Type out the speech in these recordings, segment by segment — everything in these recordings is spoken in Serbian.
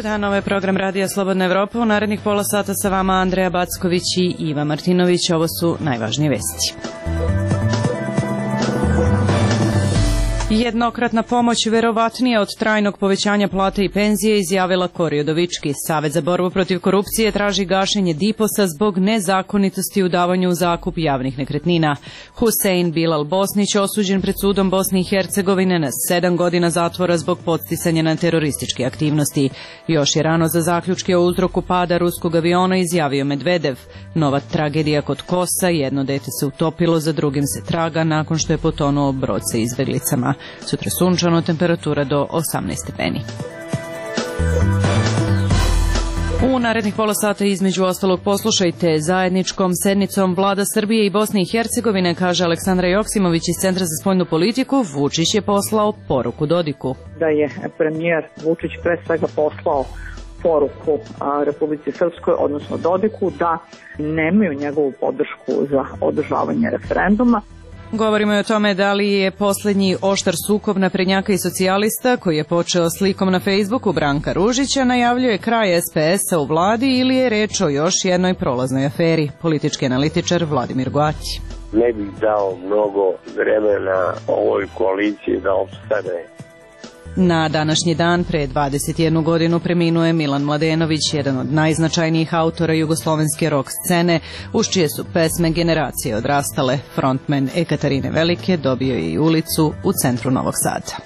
dan, ovo je program Radija Slobodna Evropa. U narednih pola sata sa vama Andreja Backović i Iva Martinović. Ovo su najvažnije vesti. Jednokratna pomoć verovatnija od trajnog povećanja plate i penzije, izjavila Kori Udovički. Savet za borbu protiv korupcije traži gašenje DIPOS-a zbog nezakonitosti u davanju u zakup javnih nekretnina. Husein Bilal Bosnić osuđen pred sudom Bosne i Hercegovine na 7 godina zatvora zbog podsticanja na terorističke aktivnosti. Još je rano za zaključke o uzroku pada ruskog aviona, izjavio Medvedev. Nova tragedija kod Kosa, jedno dete se utopilo, za drugim se traga nakon što je potonuo brod sa izbeglicama. Sutra sunčano, temperatura do 18 stepeni. U narednih pola sata između ostalog poslušajte: zajedničkom sednicom vlada Srbije i Bosne i Hercegovine, kaže Aleksandra Joksimović iz Centra za spoljnu politiku, Vučić je poslao poruku Dodiku. Da je premijer Vučić pre svega poslao poruku Republici Srpskoj, odnosno Dodiku, da nemaju njegovu podršku za održavanje referenduma. Govorimo i o tome da li je poslednji oštar sukob naprednjaka i socijalista, koji je počeo slikom na Facebooku Branka Ružića, najavljuje kraj SPS-a u vladi ili je reč o još jednoj prolaznoj aferi. Politički analitičar Vladimir Goaći. Ne bih dao mnogo vremena ovoj koaliciji da opstane. Na današnji dan pre 21 godinu preminuo je Milan Mladenović, jedan od najznačajnijih autora jugoslovenske rock scene, uz čije su pesme generacije odrastale. Frontman Ekaterine Velike dobio je i ulicu u centru Novog Sada.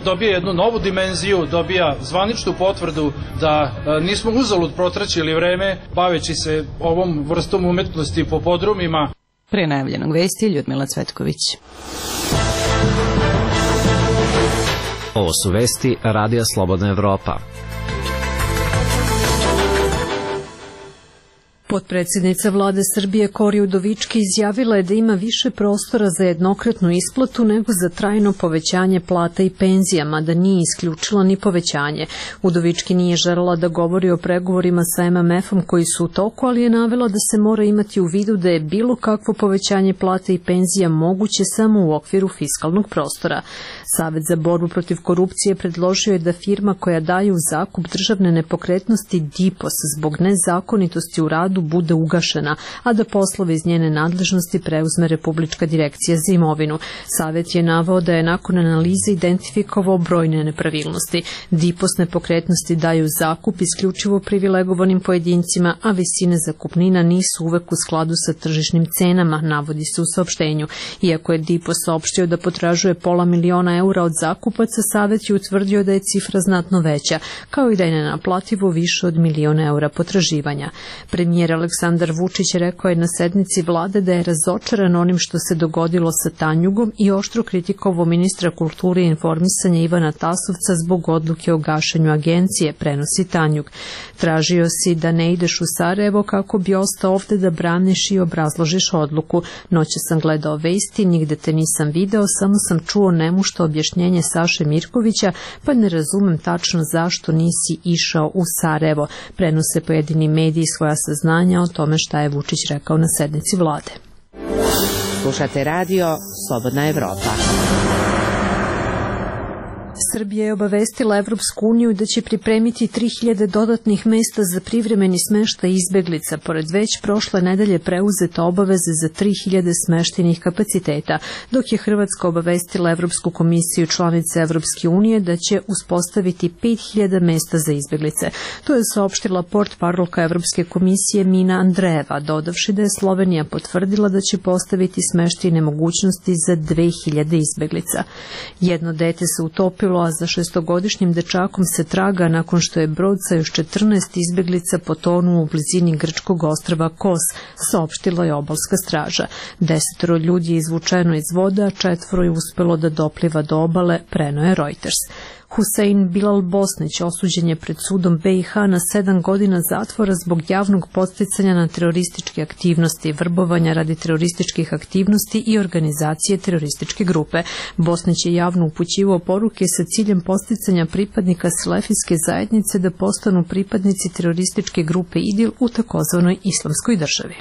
Dobija jednu novu dimenziju, dobija zvaničnu potvrdu da nismo uzalud protraćili vreme baveći se ovom vrstom umetnosti po podrumima. Pre najavljenog vesti, Ljudmila Cvetković. Ovo su vesti Radija Slobodna Evropa. Potpredsjednica vlade Srbije Kori Udovički izjavila je da ima više prostora za jednokratnu isplatu nego za trajno povećanje plata i penzijama, da nije isključila ni povećanje. Udovički nije želela da govori o pregovorima sa MMF-om koji su u toku, ali je navela da se mora imati u vidu da je bilo kakvo povećanje plata i penzija moguće samo u okviru fiskalnog prostora. Savet za borbu protiv korupcije predložio je da firma koja daje u zakup državne nepokretnosti DIPOS zbog nezakonitosti u radu bude ugašena, a da poslove iz njene nadležnosti preuzme Republička direkcija za imovinu. Savet je naveo da je nakon analize identifikovao brojne nepravilnosti. DIPOS nepokretnosti daju zakup isključivo privilegovanim pojedincima, a visine zakupnina nisu uvek u skladu sa tržišnim cenama, navodi se u saopštenju. Iako je DIPOS saopštio da potražuje $500.000 od zakupaca, Savet je utvrdio da je cifra znatno veća, kao i da je nenaplativo više od $1.000.000 potraživanja. Premijer Aleksandar Vučić rekao je na sednici vlade da je razočaran onim što se dogodilo sa Tanjugom i oštro kritikovao ministra kulture i informisanja Ivana Tasovca zbog odluke o gašenju agencije, prenosi Tanjug. Tražio si da ne ideš u Sarajevo kako bi ostao ovde da braniš i obrazložiš odluku. Noće sam gledao vesti, nigde te nisam video, samo sam čuo nemušto objašnjenje Saše Mirkovića, pa ne razumem tačno zašto nisi išao u Sarajevo. Prenose pojedini mediji svoja saznanja o tome šta je Vučić rekao na sednici vlade. Slušate radio Slobodna Evropa. Srbija je obavestila Evropsku uniju da će pripremiti 3000 dodatnih mesta za privremeni smeštaj izbeglica, pored već prošle nedelje preuzete obaveze za 3000 smeštajnih kapaciteta, dok je Hrvatska obavestila Evropsku komisiju članice Evropske unije da će uspostaviti 5000 mesta za izbeglice. To je saopštila portparolka Evropske komisije Mina Andrejeva, dodavši da je Slovenija potvrdila da će postaviti smeštajne mogućnosti za 2000 izbeglica. Jedno dete se utopilo, a za 6-godišnjim dečakom se traga nakon što je brod sa još 14 izbeglica potonuo u blizini grčkog ostrva Kos, saopštila je obalska straža. 10 ljudi je izvučeno iz voda, a 4 je uspelo da dopliva do obale, preneo je Reuters. Husein Bilal Bosnić osuđen je pred sudom BiH na 7 godina zatvora zbog javnog podsticanja na terorističke aktivnosti, vrbovanja radi terorističkih aktivnosti i organizacije terorističke grupe. Bosnić je javno upućivao poruke sa ciljem podsticanja pripadnika selefijske zajednice da postanu pripadnici terorističke grupe IDIL u takozvanoj Islamskoj državi.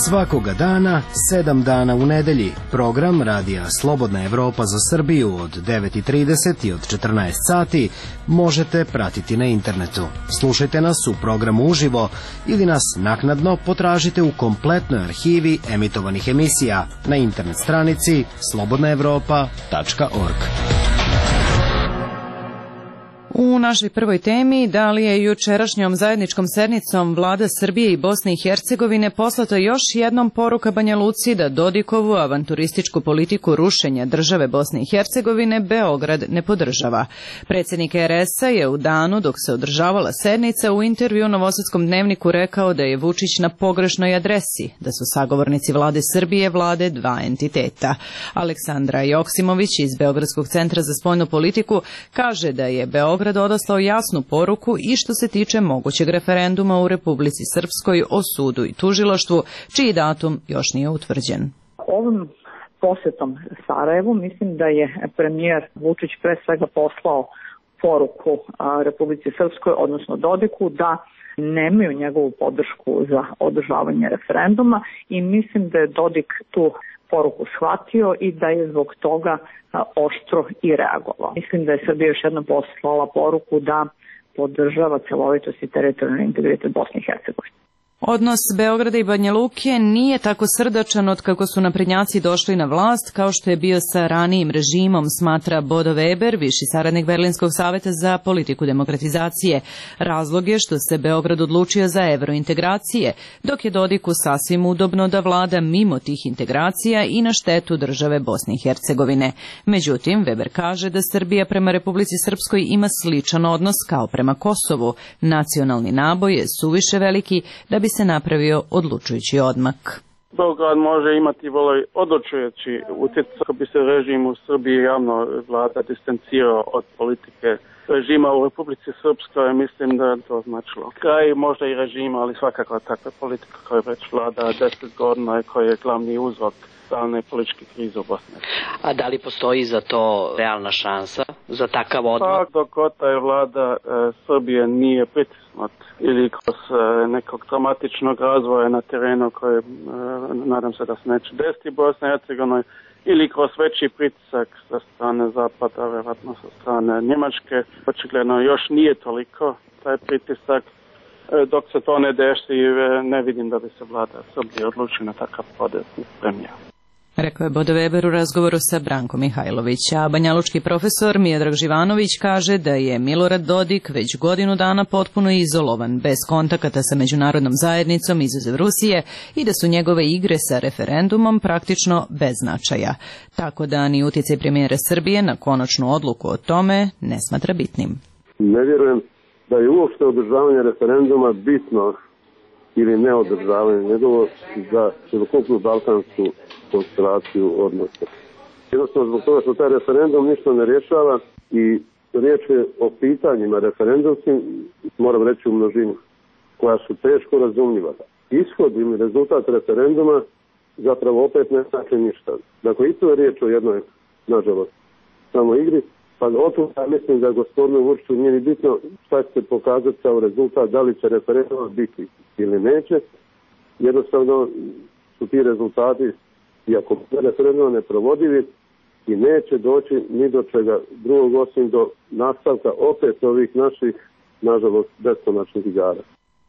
Svakoga dana, 7 dana u nedelji, program Radija Slobodna Evropa za Srbiju od 9:30 i od 14 sati možete pratiti na internetu. Slušajte nas u programu uživo ili nas naknadno potražite u kompletnoj arhivi emitovanih emisija na internet stranici slobodnaevropa.org. U našoj prvoj temi, da li je jučerašnjom zajedničkom sednicom vlada Srbije i Bosne i Hercegovine poslata još jednom poruka Banja Luci da Dodikovu avanturističku politiku rušenja države Bosne i Hercegovine Beograd ne podržava. Predsjednik RS-a je u danu dok se održavala sednica u intervju Novosadskom dnevniku rekao da je Vučić na pogrešnoj adresi, da su sagovornici vlade Srbije vlade dva entiteta. Aleksandra Joksimović iz Beogradskog centra za spoljnu politiku kaže da je Beograd odaslao jasnu poruku i što se tiče mogućeg referenduma u Republici Srpskoj o sudu i tužilaštvu, čiji datum još nije utvrđen. Ovim posjetom Sarajevu mislim da je premijer Vučić pre svega poslao poruku Republici Srpskoj, odnosno Dodiku, da nemaju njegovu podršku za održavanje referenduma i mislim da je Dodik tu poruku shvatio i da je zbog toga oštro i reagovao. Mislim da je Srbija još jednom poslala poruku da podržava celovitost i teritorijalni integritet Bosne i Hercegovine. Odnos Beograda i Banja Luke nije tako srdačan od kako su naprednjaci došli na vlast kao što je bio sa ranijim režimom, smatra Bodo Weber, viši saradnik Berlinskog saveta za politiku demokratizacije. Razlog je što se Beograd odlučio za evrointegracije, dok je Dodiku sasvim udobno da vlada mimo tih integracija i na štetu države Bosne i Hercegovine. Međutim, Weber kaže da Srbija prema Republici Srpskoj ima sličan odnos kao prema Kosovu. Nacionalni naboj je suviše veliki da bi se napravio odlučujući odmak. Beograd može imati odlučujući utjecaj kako bi se režim u Srbiji javno vlada distancirao od politike režima u Republici Srpskoj. Mislim da je to značilo kraj možda i režima, ali svakako takva politika koja već vlada 10 godina i koja je glavni uzrok stalne političke krize u Bosni. A da li postoji za to realna šansa, za takav odmak? Pa dok god je vlada Srbije nije pritisnut ili kroz nekog dramatičnog razvoja na terenu koje nadam se da se neće desiti Bosna i Hercegovina, ili kroz veći pritisak sa strane Zapada, vjerojatno sa strane Njemačke. Očigledno još nije toliko taj pritisak. Dok se to ne desi, ne vidim da bi se vlada Srbije odlučila na takav potez premijera. Rekao je Bodo Weber u razgovoru sa Brankom Mihajlović, a banjalučki profesor Miodrag Živanović kaže da je Milorad Dodik već godinu dana potpuno izolovan, bez kontakata sa međunarodnom zajednicom izuzev Rusije i da su njegove igre sa referendumom praktično bez značaja. Tako da ni utjecaj premijera Srbije na konačnu odluku o tome ne smatra bitnim. Ne vjerujem da je uopšte održavanje referenduma bitno ili neodržavanje njegovo za celokupnu balkansku konstelaciju odnosa. Jednostavno zbog toga što taj referendum ništa ne rješava i riječ je o pitanjima referendumskim, moram reći u množini, koja su teško razumljiva. Ishod ili rezultat referenduma zapravo opet ne znači ništa. Dakle, i to je riječ o jednoj, nažalost, samo igri. Pa otud ja mislim da gospodinu Vučiću nije ni bitno šta će se pokazati kao rezultat, da li će referendum biti ili neće. Jednostavno su ti rezultati, iako referendum neprovodivi, i neće doći ni do čega drugog osim do nastavka opet ovih naših, nažalost, beskonačnih igara.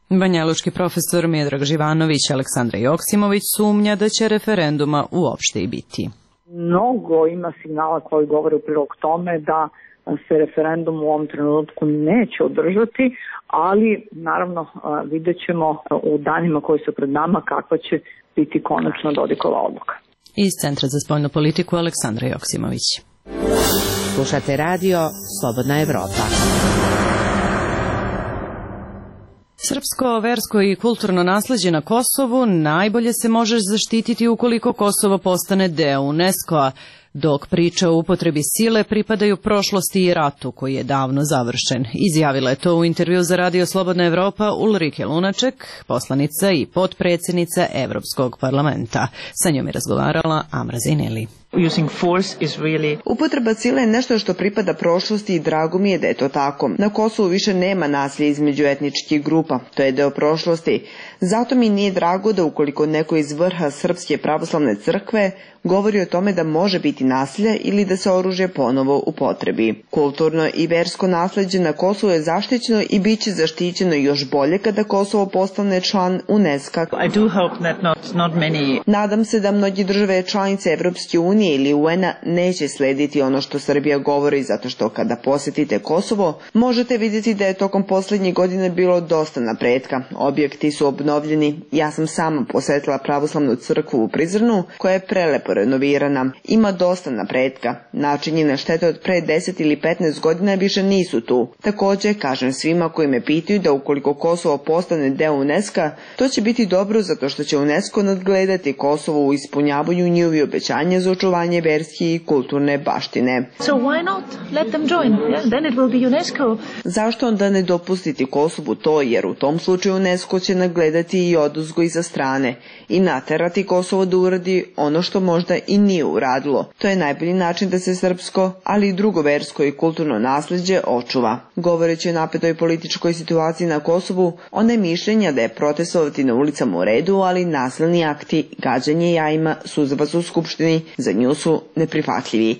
Banjalučki profesor Miodrag Živanović i Aleksandra Joksimović sumnja da će referenduma uopšte i biti. Mnogo ima signala koji govore u prilog tome da se referendum u ovom trenutku neće održati, ali naravno vidjet ćemo u danima koji su pred nama kakva će biti konačno Dodikova odluka. Iz Centra za spoljnu politiku Aleksandra Joksimović. Slušate radio Slobodna Evropa. Srpsko, versko i kulturno nasleđe na Kosovu najbolje se može zaštititi ukoliko Kosovo postane deo UNESCO-a, dok priče o upotrebi sile pripadaju prošlosti i ratu koji je davno završen. Izjavila je to u intervju za Radio Slobodna Evropa Ulrike Lunaček, poslanica i potpredsjednica Evropskog parlamenta. Sa njom je razgovarala Amra Zineli. Upotreba sile je nešto što pripada prošlosti i drago mi je da je to tako. Na Kosovu više nema nasilja između etničkih grupa, to je deo prošlosti. Zato mi nije drago da ukoliko neko iz vrha Srpske pravoslavne crkve govori o tome da može biti nasilje ili da se oružje ponovo upotrebi. Kulturno i versko nasleđe na Kosovu je zaštićeno i bit će zaštićeno još bolje kada Kosovo postane član UNESCO. Nadam se da mnogi države članice Evropske unije ili UN-a neće slediti ono što Srbija govori, zato što kada posjetite Kosovo možete vidjeti da je tokom posljednjih godina bilo dosta napretka. Objekti su obnovljeni. Ja sam sama posjetila pravoslavnu crkvu u Prizrenu koja je prelepo renovirana. Ima dosta napretka. Načinjene štete od pre 10 ili 15 godina više nisu tu. Također kažem svima koji me pitaju da ukoliko Kosovo postane deo UNESCO, to će biti dobro zato što će UNESCO nadgledati Kosovo u ispunjavanju njihovih obećanja za očuvanje verske i kulturne baštine. Zašto onda ne dopustiti Kosovu to, jer u tom slučaju UNESCO će nadgledati i odozgo iza strane i naterati Kosovo da uradi ono što možda i nije uradilo. To je najbolji način da se srpsko, ali i drugo versko i kulturno nasleđe očuva. Govoreći o napetoj političkoj situaciji na Kosovu, ona je mišljenja da je protestovati na ulicama u redu, ali nasilni akti, gađanje jajima, suzavac u skupštini, za nju su neprihvatljivi.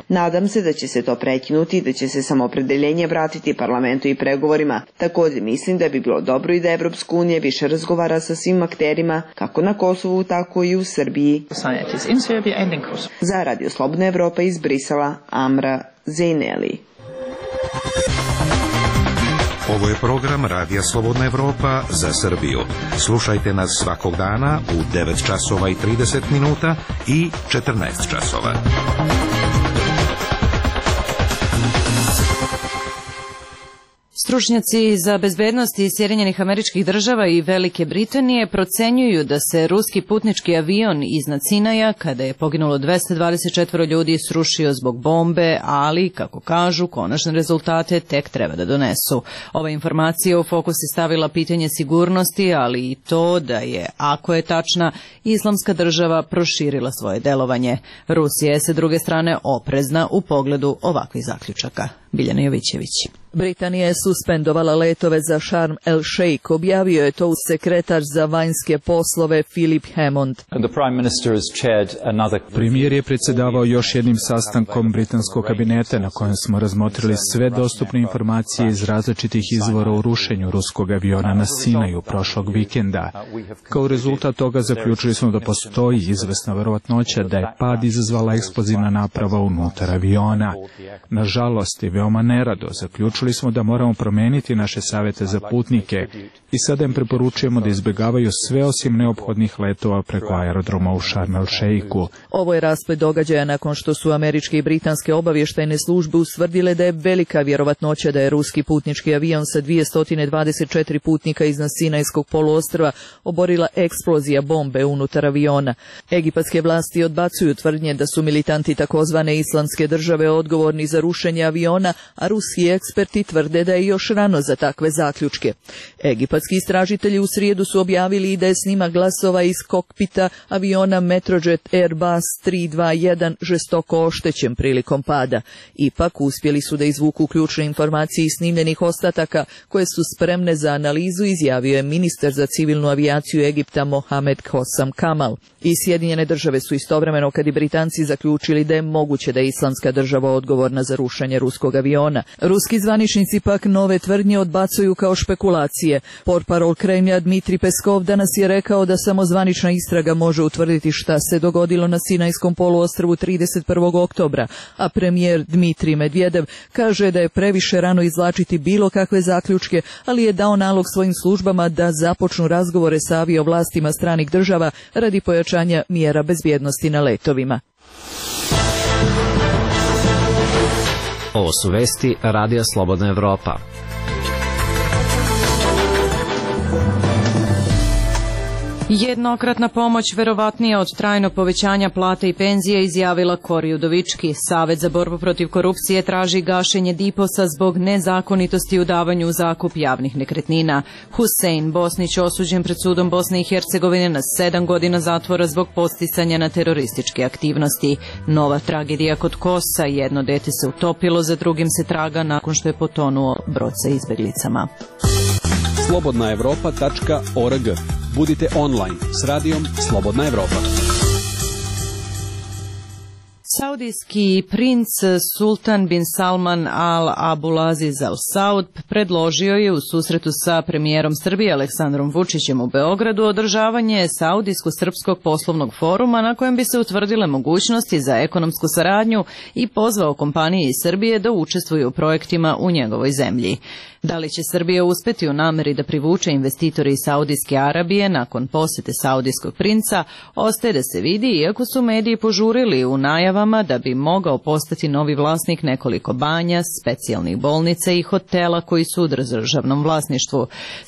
Nadam se da će se to prekinuti i da će se samoopredeljenje vratiti parlamentu i pregovorima. Također mislim da bi bilo dobro i da Evropska unija više razgovara sa svim akterima, kako na Kosovu, tako i u Srbiji. Za Radio Slobodna Evropa iz Brisela, Amra Zejneli. Ovo je program Radija Slobodna Evropa za Srbiju. Slušajte nas svakog dana u 9 časova i 30 minuta i 14 časova. Stručnjaci za bezbednost iz Sjedinjenih Američkih Država i Velike Britanije procenjuju da se ruski putnički avion iznad Sinaja, kada je poginulo 224 ljudi, srušio zbog bombe, ali, kako kažu, konačne rezultate tek treba da donesu. Ova informacija u fokus je stavila pitanje sigurnosti, ali i to da je, ako je tačna, Islamska država proširila svoje delovanje. Rusija je, sa druge strane, oprezna u pogledu ovakvih zaključaka. Biljana Jovićević. Britanija je suspendovala letove za Sharm el Sheikh, objavio je to sekretar za vanjske poslove Philip Hammond. Premijer je predsjedavao još jednim sastankom britanskog kabineta na kojem smo razmotrili sve dostupne informacije iz različitih izvora o rušenju ruskog aviona na Sinaju prošlog vikenda. Kao rezultat toga zaključili smo da postoji izvesna verovatnoća da je pad izazvala eksplozivna naprava unutar aviona. Nažalost i veoma nerado zaključili smo da moramo promeniti naše savjete za putnike i sada im preporučujemo da izbjegavaju sve osim neophodnih letova preko aerodroma u Sharm el Sheikhu. Ovo je rasplet događaja nakon što su američke i britanske obavještajne službe ustvrdile da je velika vjerovatnoća da je ruski putnički avion sa 224 putnika iznad Sinajskog poluostrva oborila eksplozija bombe unutar aviona. Egipatske vlasti odbacuju tvrdnje da su militanti takozvane Islamske države odgovorni za rušenje aviona, a ruski eksperti tvrde da je još rano za takve zaključke. Egipatski istražitelji u srijedu su objavili i da je snimak glasova iz kokpita aviona Metrojet Airbus 321 žestoko oštećen prilikom pada. Ipak uspjeli su da izvuku ključne informacije iz snimljenih ostataka koje su spremne za analizu, izjavio je ministar za civilnu avijaciju Egipta Mohamed Hossam Kamal. I Sjedinjene države su istovremeno, kad i Britanci, zaključili da je moguće da je Islamska država odgovorna za rušenje ruskog aviona. Ruski zvaničnici pak nove tvrdnje odbacuju kao špekulacije. Portparol Kremlja Dmitri Peskov danas je rekao da samo zvanična istraga može utvrditi šta se dogodilo na Sinajskom poluostrvu 31. oktobra, a premijer Dmitri Medvedev kaže da je previše rano izvlačiti bilo kakve zaključke, ali je dao nalog svojim službama da započnu razgovore sa aviovlastima stranih država radi pojačanja mjera bezbjednosti na letovima. Ovo su vesti Radija Slobodna Evropa. Jednokratna pomoć verovatnija od trajnog povećanja plata i penzija, izjavila Kori Udovički. Savet za borbu protiv korupcije traži gašenje DIPOS-a zbog nezakonitosti u davanju u zakup javnih nekretnina. Husein Bosnić osuđen pred sudom Bosne i Hercegovine na 7 godina zatvora zbog podsticanja na terorističke aktivnosti. Nova tragedija kod Kosa, jedno dete se utopilo, za drugim se traga nakon što je potonuo brod sa izbeglicama. slobodnaevropa.org. Budite online s radijom Slobodna Evropa. Saudijski princ Sultan bin Salman Al Abulaziz Al Saud predložio je u susretu sa premijerom Srbije Aleksandrom Vučićem u Beogradu održavanje Saudijsko-srpskog poslovnog foruma na kojem bi se utvrdile mogućnosti za ekonomsku saradnju i pozvao kompanije iz Srbije da učestvuju u projektima u njegovoj zemlji. Da li će Srbija uspeti u nameri da privuče investitore iz Saudijske Arabije nakon posete saudijskog princa, ostaje da se vidi, iako su mediji požurili u najavama da bi mogao postati novi vlasnik nekoliko banja, specijalnih bolnica i hotela koji su u državnom vlasništvu.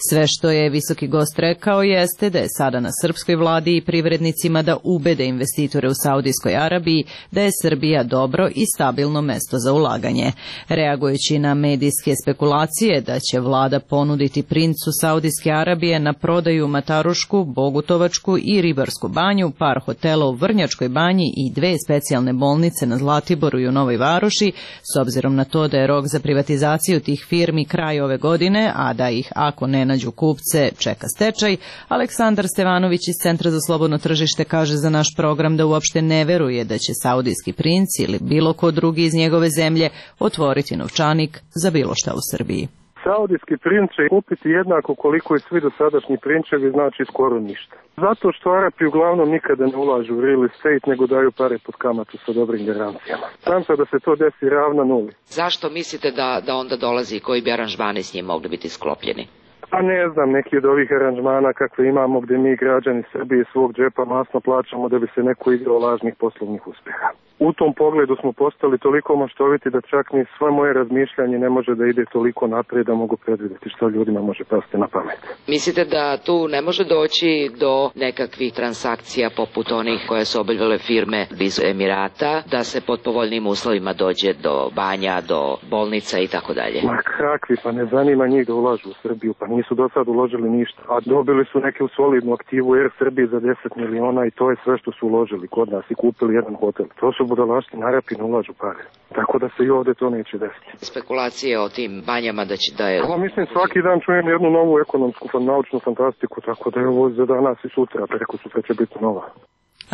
Sve što je visoki gost rekao jeste da je sada na srpskoj vladi i privrednicima da ubede investitore u Saudijskoj Arabiji da je Srbija dobro i stabilno mesto za ulaganje. Reagujući na medijske spekulacije da će vlada ponuditi princu Saudijske Arabije na prodaju Matarušku, Bogutovačku i Ribarsku banju, par hotela u Vrnjačkoj banji i 2 specijalne bolnice na Zlatiboru i u Novoj Varoši, s obzirom na to da je rok za privatizaciju tih firmi kraj ove godine, a da ih, ako ne nađu kupce, čeka stečaj, Aleksandar Stevanović iz Centra za slobodno tržište kaže za naš program da uopšte ne veruje da će saudijski princ ili bilo ko drugi iz njegove zemlje otvoriti novčanik za bilo šta u Srbiji. Saudijski princ će kupiti jednako koliko i svi dosadašnji prinčevi, znači skoro ništa. Zato što Arapi uglavnom nikada ne ulažu u real estate, nego daju pare pod kamatu sa dobrim garancijama. Šansa da se to desi ravna nuli. Zašto mislite da onda dolazi i koji bi aranžmani s njim mogli biti sklopljeni? Pa ne znam, neki od ovih aranžmana kakve imamo gde mi građani Srbije svog džepa masno plaćamo da bi se neko igrao lažnih poslovnih uspeha. U tom pogledu smo postali toliko maštoviti da čak ni sve moje razmišljanje ne može da ide toliko naprijed da mogu predvidjeti što ljudima može pasti na pamet. Mislite da tu ne može doći do nekakvih transakcija poput onih koje su obavljale firme iz Emirata, da se pod povoljnim uslovima dođe do banja, do bolnica i tako dalje? Ma kakvi, pa ne zanima njih da ulažu u Srbiju, pa nisu do sad uložili ništa. A dobili su neku solidnu aktivu Air Srbije za 10 miliona i to je sve što su uložili kod nas i kupili jedan hotel. To su budalašti, Arapi ne ulažu pare. Tako da se i ovde to neće desiti. Spekulacije o tim banjama da je... Pa mislim svaki dan čujem jednu novu ekonomsku naučnu fantastiku, tako da je ovo za danas i sutra, preko sutra će biti nova.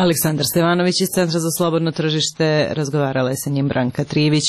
Aleksandar Stevanović iz Centra za slobodno tržište, razgovarala je sa njim Branka Trivić,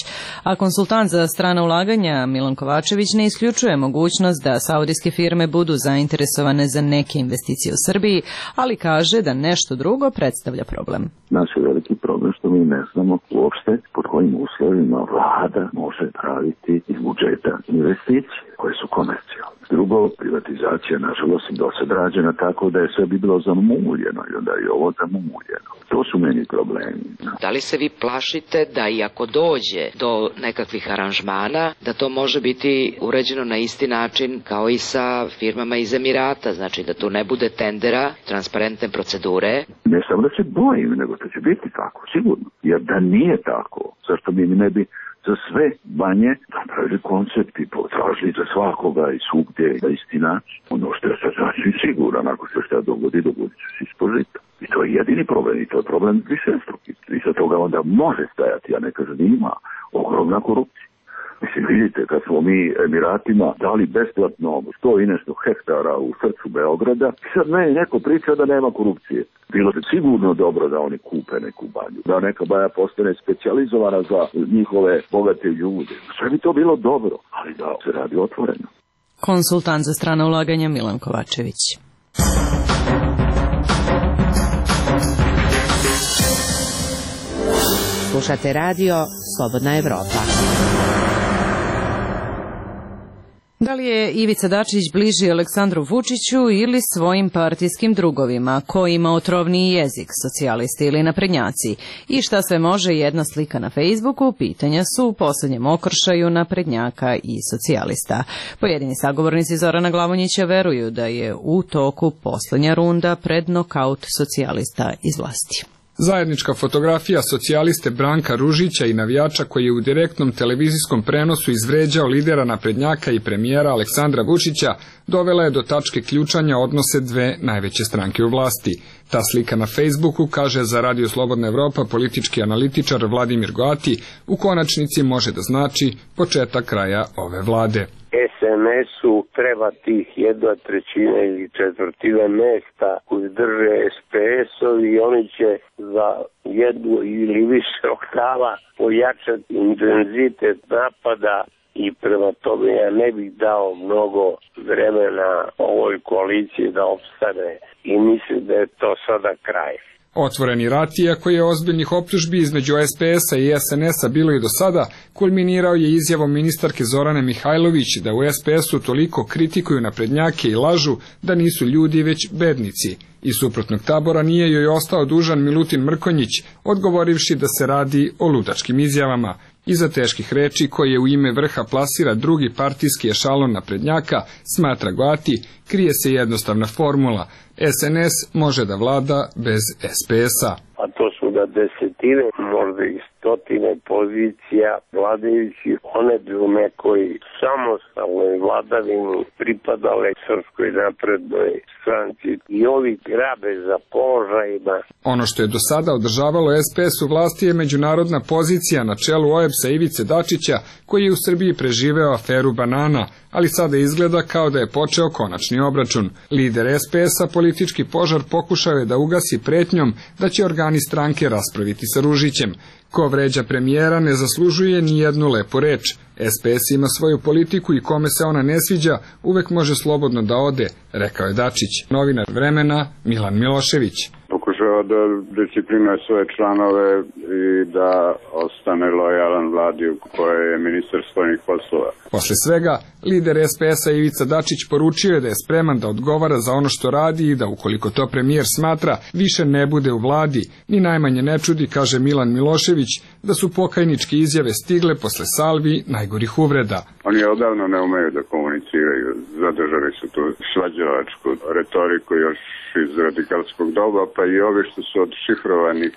a konsultant za strana ulaganja Milan Kovačević ne isključuje mogućnost da saudijske firme budu zainteresovane za neke investicije u Srbiji, ali kaže da nešto drugo predstavlja problem. Naš je veliki problem što mi ne znamo uopšte pod kojim uslovima vlada može praviti iz budžeta investicije koje su komercijalne. Drugo, privatizacija nažalost do sad rađena tako da je sve bi bilo zamuljeno i onda je ovo zamuljeno. To su meni problemi. Da li se vi plašite da i ako dođe do nekakvih aranžmana, da to može biti uređeno na isti način kao i sa firmama iz Emirata, znači da tu ne bude tendera, transparentne procedure? Ne samo da se bojim, nego da će biti tako, sigurno. Jer da nije tako, zašto mi ne bi za sve banje napravili koncept i potražili za svakoga i svugdje da istina. Ono što je sad znači siguran, ako se šta dogodi će se ispožiti. I to je jedini problem i to je problem višestruki. I sa toga onda može stajati, ja ne kažem da ima ogromna korupcija. Mislim, vidite, kad smo mi Emiratima dali besplatno 100 i nešto hektara u srcu Beograda, sad meni neko priča da nema korupcije. Bilo bi sigurno dobro da oni kupe neku banju, da neka banja postane specijalizovana za njihove bogate ljude. Sve bi to bilo dobro, ali da se radi otvoreno. Konsultant za strana ulaganja Milan Kovačević. Slušate radio Slobodna Evropa. Da li je Ivica Dačić bliži Aleksandru Vučiću ili svojim partijskim drugovima? Ko ima otrovniji jezik, socijalisti ili naprednjaci? I šta sve može jedna slika na Facebooku? Pitanja su u poslednjem okršaju naprednjaka i socijalista. Pojedini sagovornici Zorana Glavonjića veruju da je u toku poslednja runda pred nokaut socijalista iz vlasti. Zajednička fotografija socijaliste Branka Ružića i navijača koji je u direktnom televizijskom prenosu izvređao lidera naprednjaka i premijera Aleksandra Vučića dovela je do tačke ključanja odnose dve najveće stranke u vlasti. Ta slika na Facebooku, kaže za Radio Slobodna Evropa politički analitičar Vladimir Goati, u konačnici može da znači početak kraja ove vlade. SNS-u treba tih 1/3 ili 1/4 mesta koji drže SPS-ovi i oni će za 1 ili više oktava pojačati intenzitet napada i prema tome ja ne bih dao mnogo vremena ovoj koaliciji da opstane i mislim da je to sada kraj. Otvoreni rat, iako je ozbiljnih optužbi između SPS-a i SNS-a bilo i do sada, kulminirao je izjavom ministarke Zorane Mihajlović da u SPS-u toliko kritikuju naprednjake i lažu da nisu ljudi već bednici. Iz suprotnog tabora nije joj ostao dužan Milutin Mrkonjić, odgovorivši da se radi o ludačkim izjavama. Iza teških reči koje u ime vrha plasira drugi partijski ešalon naprednjaka, smatra Goati, krije se jednostavna formula. SNS može da vlada bez SPS-a. A to su da desetine, možda i stotine pozicija vladajući, one bi u nekoj samostalnoj vladavini pripadale Srpskoj naprednoj stranci i ovi grabe za položajima. Ono što je do sada održavalo SPS u vlasti je međunarodna pozicija na čelu OEBS-a Ivice Dačića, koji je u Srbiji preživeo aferu banana, ali sada izgleda kao da je počeo konačni obračun. Lider SPS-a politički požar pokušao je da ugasi pretnjom da će organi stranke raspraviti sa Ružićem. Ko vređa premijera ne zaslužuje ni jednu lepu reč. SPS ima svoju politiku i kome se ona ne sviđa, uvek može slobodno da ode, rekao je Dačić. Novinar Vremena Milan Milošević. Pokušava da disciplinuje svoje članove i da ostane lojalan vladi u kojoj je ministar spoljnih poslova. Posle svega, lider SPS-a Ivica Dačić poručio je da je spreman da odgovara za ono što radi i da ukoliko to premijer smatra, više ne bude u vladi. Ni najmanje ne čudi, kaže Milan Milošević, da su pokajničke izjave stigle posle salvi najgorih uvreda. Oni odavno ne umeju da komuniciraju, zadržali su tu svađalačku retoriku još iz radikalskog doba, pa i ovi što su od šifrovanih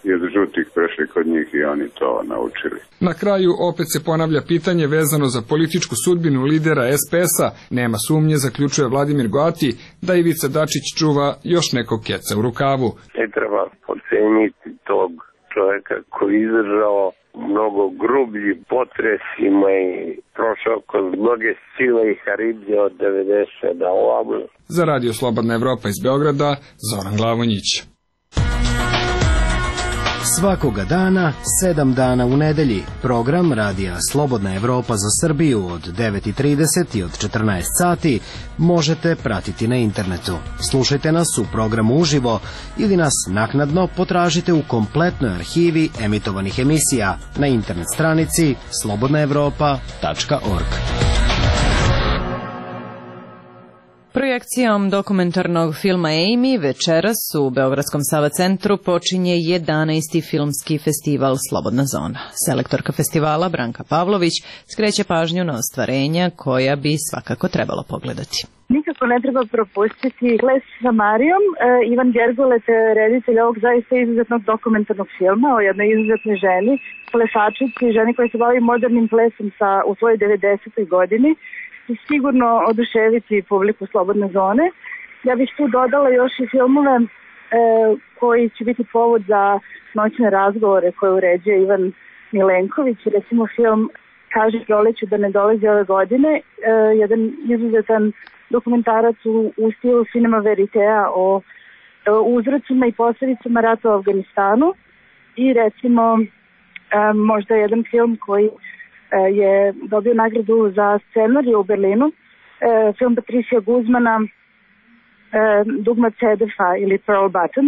i od žutih prešli kod njih i oni to naučili. Na kraju opet se ponavlja pitanje vezano za političku sudbinu lidera SPS-a. Nema sumnje, zaključuje Vladimir Goati, da Ivica Dačić čuva još nekog keca u rukavu. Ne treba poceniti tog čovjeka koji je izdržao mnogo grublji potresima i prošao kroz mnoge sile i haribdje od 90 na ovamo. Za Radio Slobodna Evropa iz Beograda, Zoran Glavonjić. Svakoga dana, 7 dana u nedelji, program Radija Slobodna Evropa za Srbiju od 9:30 i od 14 sati možete pratiti na internetu. Slušajte nas u programu uživo ili nas naknadno potražite u kompletnoj arhivi emitovanih emisija na internet stranici slobodnaevropa.org. Projekcijom dokumentarnog filma Amy večeras u Beogradskom Sava centru počinje 11. filmski festival Slobodna zona. Selektorka festivala Branka Pavlović skreće pažnju na ostvarenja koja bi svakako trebalo pogledati. Nikako ne treba propustiti Ples sa Marijom. Ivan Gergulec, reditelj ovog zaista izuzetnog dokumentarnog filma o jednoj izuzetnoj ženi, plesačici, ženi koja se bavi modernim plesom u svojoj 90. godini. Sigurno oduševiti publiku Slobodne zone. Ja bih tu dodala još i filmove koji će biti povod za noćne razgovore koje uređuje Ivan Milenković. Recimo film Kaži proleću da ne dolazi ove godine, jedan izuzetan dokumentarac u stilu Cinema Veritea o uzrocima i posljedicama rata u Afganistanu i recimo možda jedan film koji je dobio nagradu za scenariju u Berlinu, film Patricia Guzmana, Dugma Cedefa ili Pearl Button.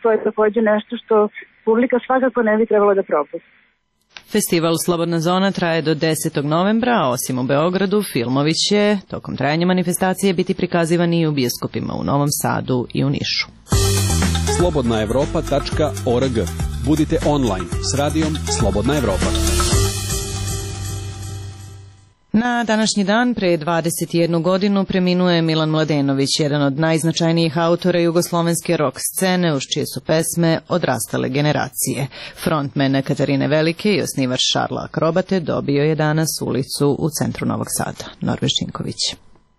To je također nešto što publika svakako ne bi trebalo da propusti. Festival Slobodna zona traje do 10. novembra, a osim u Beogradu, filmovi će tokom trajanja manifestacije biti prikazivani i u bioskopima u Novom Sadu i u Nišu. slobodnaevropa.org. Budite online s radijom Slobodna Evropa. Na današnji dan, pre 21 godinu, preminuo je Milan Mladenović, jedan od najznačajnijih autora jugoslovenske rock scene, uz čije su pesme odrastale generacije. Frontman Katarine Velike i osnivač Šarla Akrobate dobio je danas ulicu u centru Novog Sada. Norve Šinković.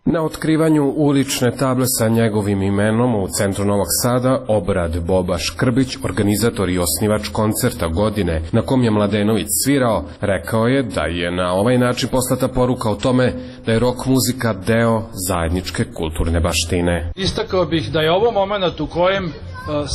Na otkrivanju ulične table sa njegovim imenom u centru Novog Sada obrad Boba Škrbić, organizator i osnivač koncerta godine na kom je Mladenović svirao, rekao je da je na ovaj način poslata poruka o tome da je rock muzika deo zajedničke kulturne baštine. Istakao bih da je ovo moment u kojem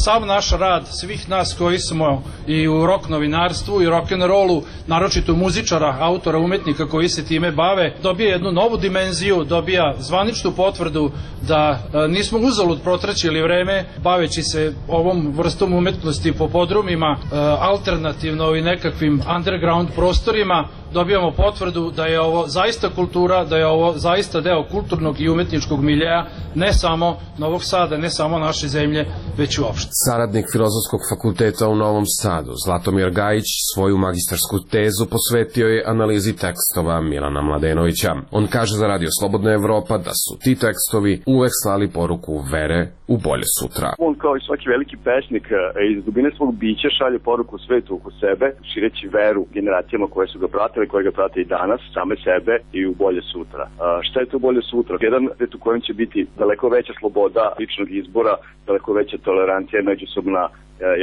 sav naš rad, svih nas koji smo i u rock novinarstvu i rock'n'rollu, naročito muzičara, autora, umetnika koji se time bave, dobija jednu novu dimenziju, dobija zvaničnu potvrdu da nismo uzalud protraćili vreme baveći se ovom vrstom umetnosti po podrumima, alternativno i nekakvim underground prostorima. Dobijamo potvrdu da je ovo zaista kultura, da je ovo zaista deo kulturnog i umetničkog miljeja, ne samo Novog Sada, ne samo naše zemlje, već uopšte. Saradnik Filozofskog fakulteta u Novom Sadu, Zlatomir Gajić, svoju magistarsku tezu posvetio je analizi tekstova Milana Mladenovića. On kaže za Radio Slobodna Evropa da su ti tekstovi uvek slali poruku vere u bolje sutra. On kao i svaki veliki pesnik iz dubine svog bića šalje poruku svetu oko sebe, šireći veru generacijama koje su ga pratile, koje ga prate i danas, same sebe i u bolje sutra. Šta je to bolje sutra? Jedan svet u kojem će biti daleko veća sloboda ličnog izbora, daleko veća tolerancija, međusobna,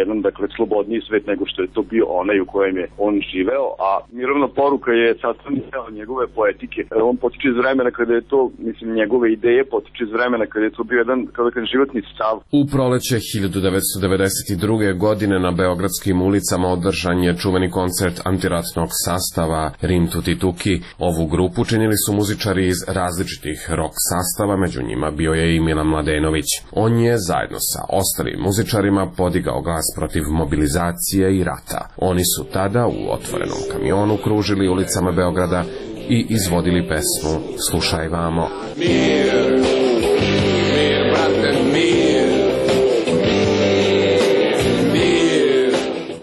jedan, dakle, slobodniji svet nego što je to bio onaj u kojem je on živeo, a mirovna poruka je sastavni deo njegove poetike. On potiče iz vremena kada je to, mislim, njegove ideje potiče iz vremena kada je to bio jedan, kao da kažem, životni stav. U proleće 1992. godine na beogradskim ulicama održan je čuveni koncert antiratnog sastava Rim Tuti Tuki. Ovu grupu činili su muzičari iz različitih rock sastava, među njima bio je i Milan Mladenović. On je zajedno sa ostalim muzičarima podigao glas protiv mobilizacije i rata. Oni su tada u otvorenom kamionu kružili ulicama Beograda i izvodili pesmu Slušaj vamo. Mir, mir, brate, mir.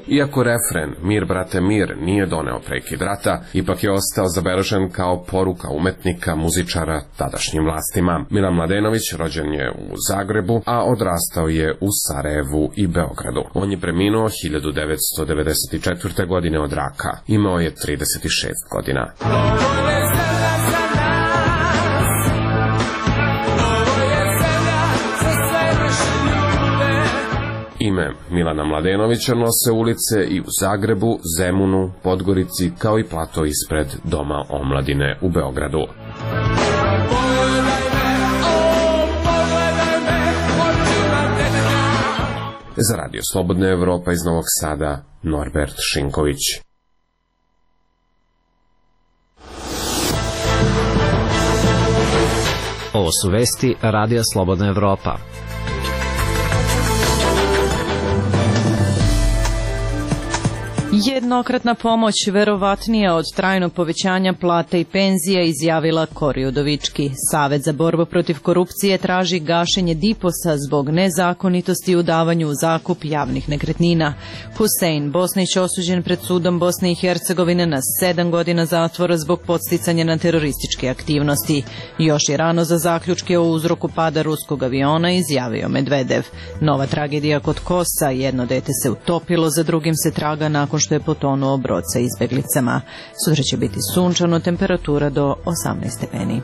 Iako refren Mir, brate, mir nije doneo prekid rata, ipak je ostao zabeležen kao poruka umetnika, muzičara tadašnjim vlastima. Milan Mladenović rođen je u Zagrebu, a odrastao je u Sarajevu i Beogradu. On je preminuo 1994. godine od raka. Imao je 36 godina. Ime Milana Mladenovića nose ulice i u Zagrebu, Zemunu, Podgorici, kao i plato ispred Doma omladine u Beogradu. Za Radio Slobodna Evropa iz Novog Sada, Norbert Šinković. Ovo su vesti Radija Slobodna Evropa. Jednokratna pomoć verovatnija od trajnog povećanja plata i penzija, izjavila Kori Udovički. Savet za borbu protiv korupcije traži gašenje DIPOS-a zbog nezakonitosti u davanju u zakup javnih nekretnina. Husein Bosnić osuđen pred sudom Bosne i Hercegovine na 7 godina zatvora zbog podsticanja na terorističke aktivnosti. Još je rano za zaključke o uzroku pada ruskog aviona, izjavio Medvedev. Nova tragedija kod Kosa, jedno dete se utopilo, za drugim se traga nakon što je potonuo brod sa izbeglicama. Sutra će biti sunčano, temperatura do 18 stepeni.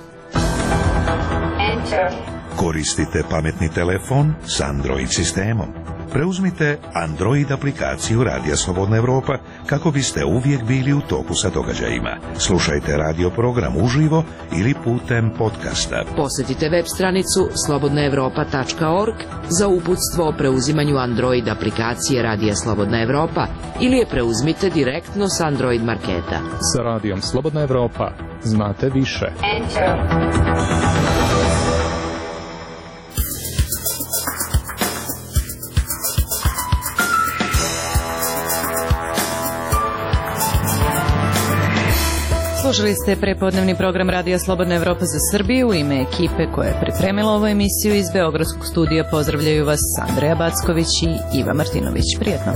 Koristite pametni telefon s Android sistemom. Preuzmite Android aplikaciju Radija Slobodna Evropa kako biste uvijek bili u toku sa događajima. Slušajte radio program uživo ili putem podcasta. Posjetite web stranicu slobodnaevropa.org za uputstvo o preuzimanju Android aplikacije Radija Slobodna Evropa ili je preuzmite direktno s Android marketa. Sa Radijom Slobodna Evropa znate više. Slušali ste prepodnevni program Radija Slobodna Evropa za Srbiju. U ime ekipe koja je pripremila ovu emisiju iz Beogradskog studija pozdravljaju vas Andreja Backović i Iva Martinović. Prijetno.